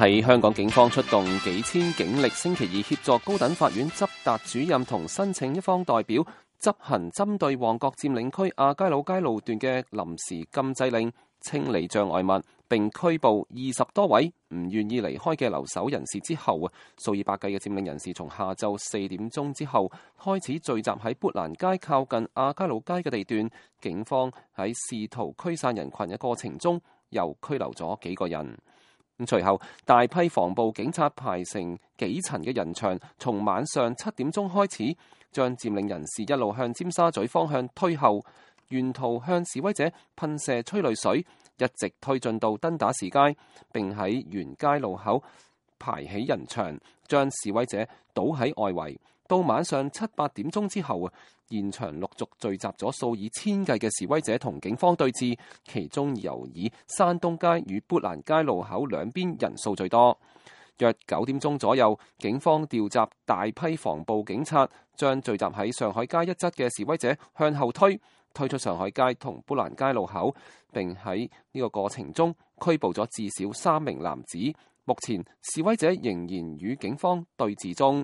喺香港警方出動幾千警力，星期二協助高等法院執達主任同申請一方代表執行針對旺角佔領區亞皆老街路段嘅臨時禁制令，清理障礙物，並拘捕20多位唔願意離開嘅留守人士之後，數以百計嘅佔領人士從下晝4點鐘之後開始聚集喺砵蘭街靠近亞皆老街嘅地段。警方喺試圖驅散人群嘅過程中，又拘留咗幾個人。隨後大批防暴警察排成幾層嘅人牆，從晚上7點鐘開始，將佔領人士一路向尖沙咀方向推後，沿途向示威者噴射催淚水，一直推進到登打士街，並喺沿街路口排起人牆，將示威者堵喺外圍。到晚上7、8點鐘之後，現場陸續聚集咗數以千計嘅示威者同警方對峙，其中尤以山東街與砵蘭街路口兩邊人數最多。約9點鐘左右，警方調集大批防暴警察，將聚集喺上海街一側嘅示威者向後推出上海街同砵蘭街路口，並喺呢個過程中拘捕咗至少3名男子。目前示威者仍然與警方對峙中。